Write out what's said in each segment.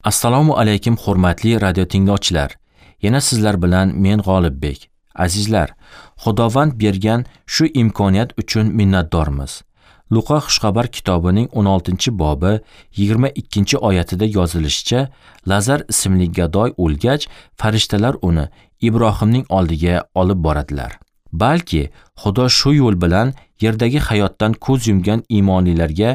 Assalomu alaykum hurmatli radio tinglovchilar. Yana sizlar bilan men G'olibbek. Azizlar, Xudovand bergan shu imkoniyat uchun minnatdormiz. Luqa Xushxabar kitobining 16-bobi 22-oyatida yozilishicha, Lazar ismli gadoy o'lgach, farishtalar uni Ibrohimning oldiga olib boradilar. Balki Xudo shu yo'l bilan yerdagi hayotdan ko'z yumgan iymonlilarga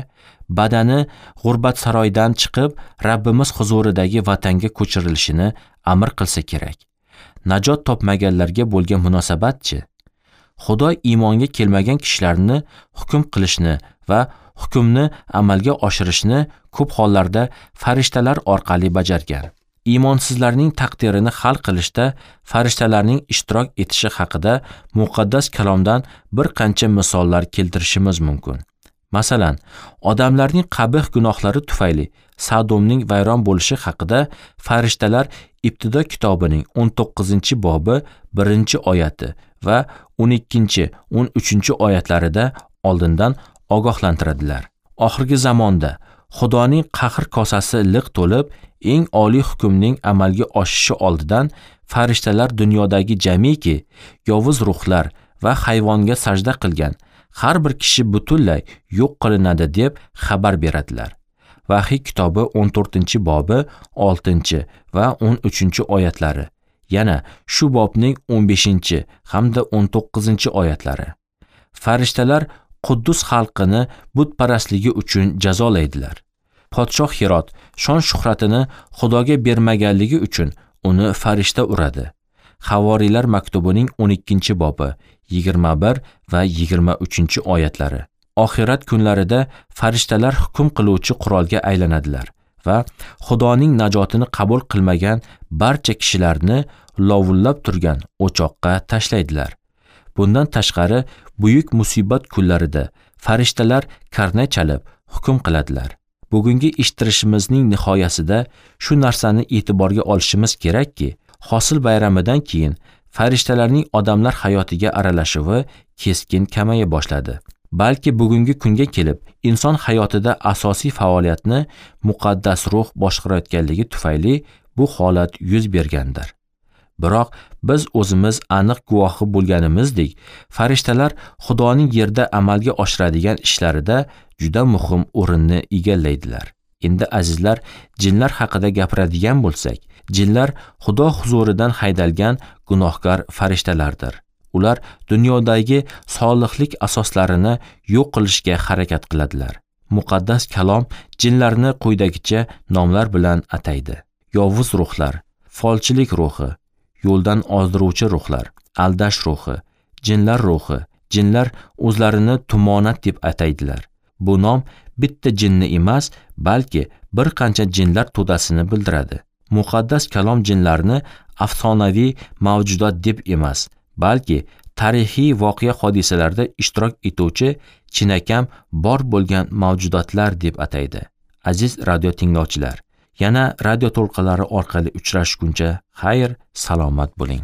badani g'urbat saroydan chiqib, Rabbimiz huzuridagi vatanga ko'chirilishini amr qilsa kerak. Najot topmaganlarga bo'lgan munosabatchi? Xudo iymonga kelmagan kishilarni hukm qilishni va hukmni amalga oshirishni ko'p hollarda farishtalar orqali bajargan. Iymonsizlarning taqdirini hal qilishda farishtalarning ishtirok etishi haqida muqaddas kalomdan bir qancha misollar keltirishimiz mumkin. Masalan, odamlarning qabih gunohlari tufayli Sadomning vayron bo'lishi haqida farishtalar Ibtido kitobining 19-bobi 1-oyati va 12-13 oyatlarida oldindan ogohlantiradilar. Oxirgi zamonda Xudoning qahr kosasi liq to'lib, eng oliy hukmning amalga oshishi oldidan farishtalar dunyodagi jamiki yovuz ruhlar va hayvonga sajda qilgan har bir kishi butunlay yo'q qilinadi deb xabar beradilar. Vahiy kitobi 14-bobi 6 va 13 oyatlari. Yana shu bobning 15 hamda 19 oyatlari. Farishtalar Quddus xalqini butparastligi uchun jazolaydilar. Podshoh Hirot shon shuhratini Xudoga bermaganligi uchun uni farishta uradi. Havoriylar maktubining 12-bobi 21 va 23 oyatlari. Oxirat kunlarida farishtalar hukm qiluvchi qurolga aylanadilar va Xudoning najotini qabul qilmagan barcha kishilarni lovullab turgan o'choqqa tashlaydilar. Bundan tashqari, buyuk musibat kunlarida farishtalar karnay chalib hukm qiladilar. Bugungi eshittirishimizning nihoyasida shu narsani e'tiborga olishimiz kerakki, hosil bayramidan keyin farishtalarning odamlar hayotiga aralashuvi keskin kamaya boshladi. Balki bugungi kunga kelib inson hayotida asosiy faoliyatni muqaddas ruh boshqarayotganligi tufayli bu holat yuz bergandir. Biroq biz o'zimiz aniq guvohi bo'lganimizdek, farishtalar Xudoning yerda amalga oshiradigan ishlarida juda muhim o'rinni egallaydilar. Endi azizlar, jinlar haqida gapiradigan bo'lsak, jinlar Xudo huzuridan haydalgan gunohkor farishtalardir. Ular dunyodagi solihlik asoslarini yo'q qilishga harakat qiladilar. Muqaddas kalom jinlarni quyidagicha nomlar bilan ataydi: yovuz ruhlar, folchilik ruhi, yo'ldan ozdiruvchi ruhlar, aldash ruhi, jinlar ruhi. Jinlar o'zlarini tumonat deb ataydilar. Bu nom bitta jinni emas, balki bir qancha jinlar to'dasini bildiradi. Muqaddas kalom jinlarni afsonaviy mavjudot deb emas, balki tarixiy voqea hodisalarda ishtirok etuvchi chinakam bor bo'lgan mavjudotlar deb ataydi. Aziz radio tinglovchilar, yana radio to'lqinlari orqali uchrashguncha xayr, salomat bo'ling.